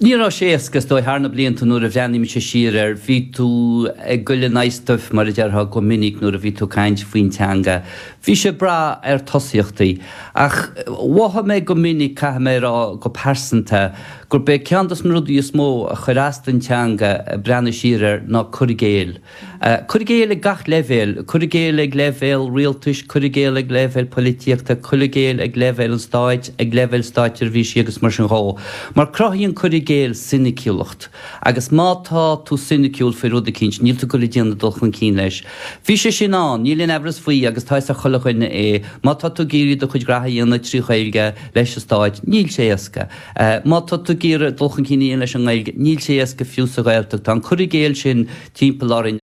Ní raibh sé éasca, is dóigh, thar na blianta nuair a bhreathnaigh mise siar air, bhí tú ag goil in aghaidh stuif, mar a déarfá, go minic nuair a bhí tú ag caint faoin teanga. Bhí sé ag brath ar tosaíochtaí. Ach mhothaigh mé go minic, caithfidh mé a rá, go pearsanta, gurb é ceann dos na rudaí is mó a chuir as don teanga, ag breathnú siar air, ná cur i gcéill. Cur i gcéill ag gach leibhéal, cur i gcéill ag leibhéal rialtais, cur i gcéill ag leibhéal poilitíochta, cur i gcéill ag leibhéal an stáit, ag leibhéal stáitseirbhísí agus mar sin dhó. Mar cruthaíonn cur i gcéill soiniciúlacht agus má tá tú soiniciúil faoi rud eicínt, níl tú ag goil ag déanamh dul chun cinn leis. Bhí sé sin ann, níl aon aimhreas faoi agus tá fhios ag chuile dhuine é, má tá tú ag iarraidh do chuid graithe a dhéanamh trí Ghaeilge leis an stáit, níl sé éasca. Má tá tú ag iarraidh dul chun cinn a dhéanamh leis an nGaeilge, níl sé éasca fiú sa Ghaeltacht. Tá an cur i gcéill sin timpeall orainn.